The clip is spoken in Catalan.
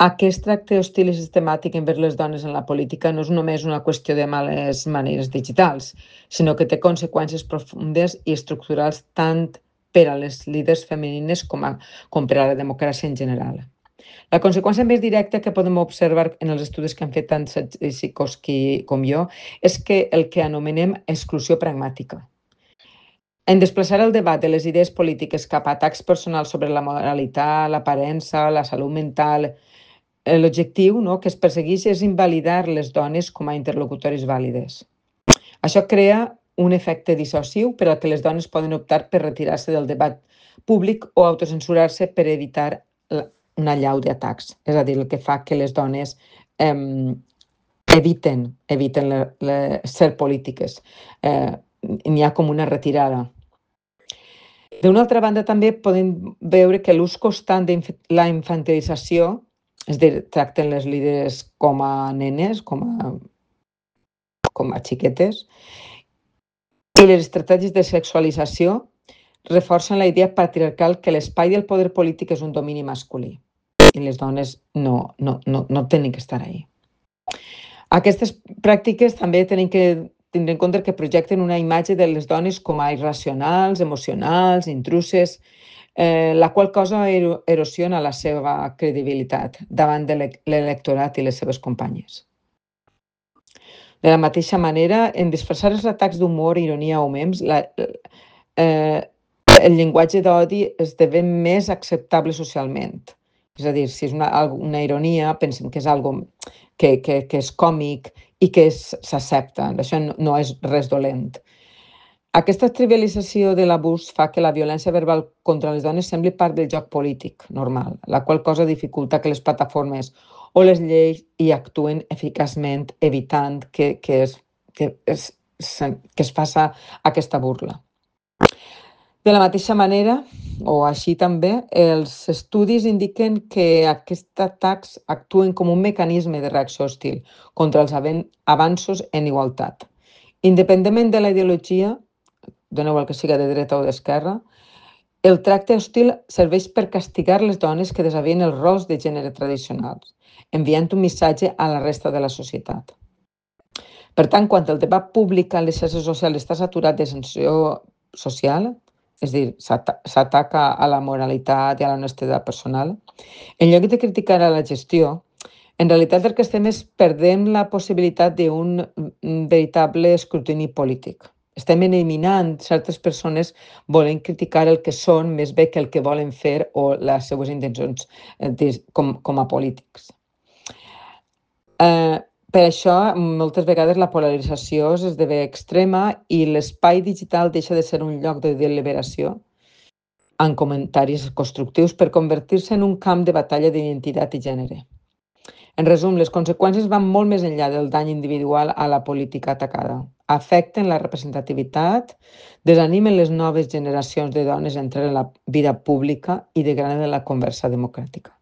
Aquest tracte hostil i sistemàtic envers les dones en la política no és només una qüestió de males maneres digitals, sinó que té conseqüències profundes i estructurals tant per a les líders femenines com per a la democràcia en general. La conseqüència més directa que podem observar en els estudis que han fet tant Sikorsky com jo és que el que anomenem exclusió pragmàtica. En desplaçar el debat de les idees polítiques cap a atacs personals sobre la moralitat, l'aparença, la salut mental, l'objectiu que es persegueix és invalidar les dones com a interlocutores vàlides. Això crea un efecte dissociu per al que les dones poden optar per retirar-se del debat públic o autocensurar-se per evitar una allau d'atacs. És a dir, el que fa que les dones eviten ser polítiques. N'hi ha com una retirada. D'una altra banda, també podem veure que l'ús constant de la infantilització, és a dir, tracten les líders com a nenes, com a xiquetes, i les estratègies de sexualització reforcen la idea patriarcal que l'espai del poder polític és un domini masculí i les dones no tenen que estar ahí. Aquestes pràctiques també tenen que tindre en compte que projecten una imatge de les dones com a irracionals, emocionals, intruses, la qual cosa erosiona la seva credibilitat davant de l'electorat i les seves companyes. De la mateixa manera, en disfressar els atacs d'humor, ironia o memes, el llenguatge d'odi esdevé més acceptable socialment. És a dir, si és una ironia, pensem que és algo que és còmic i que s'accepta. Això no és res dolent. Aquesta trivialització de l'abús fa que la violència verbal contra les dones sembli part del joc polític normal, la qual cosa dificulta que les plataformes o les lleis hi actuen eficaçment, evitant que es faci aquesta burla. De la mateixa manera, o així també, els estudis indiquen que aquests atacs actuen com un mecanisme de reacció hostil contra els avanços en igualtat. Independentment de la ideologia, doneu el que siga de dreta o d'esquerra, el tracte hostil serveix per castigar les dones que desavien els rols de gènere tradicionals, enviant un missatge a la resta de la societat. Per tant, quan el debat públic a les xarxes socials està saturat de sanció social, és a dir, s'ataca a la moralitat i a l'honestedat personal, en lloc de criticar a la gestió, en realitat el que estem és perdent la possibilitat d'un veritable escrutini polític. Estem eliminant certes persones volent criticar el que són més bé que el que volen fer o les seues intencions com a polítics. Per això, moltes vegades la polarització esdevé extrema i l'espai digital deixa de ser un lloc de deliberació en comentaris constructius per convertir-se en un camp de batalla d'identitat i gènere. En resum, les conseqüències van molt més enllà del dany individual a la política atacada. Afecten la representativitat, desanimen les noves generacions de dones a entrar en la vida pública i degraden la conversa democràtica.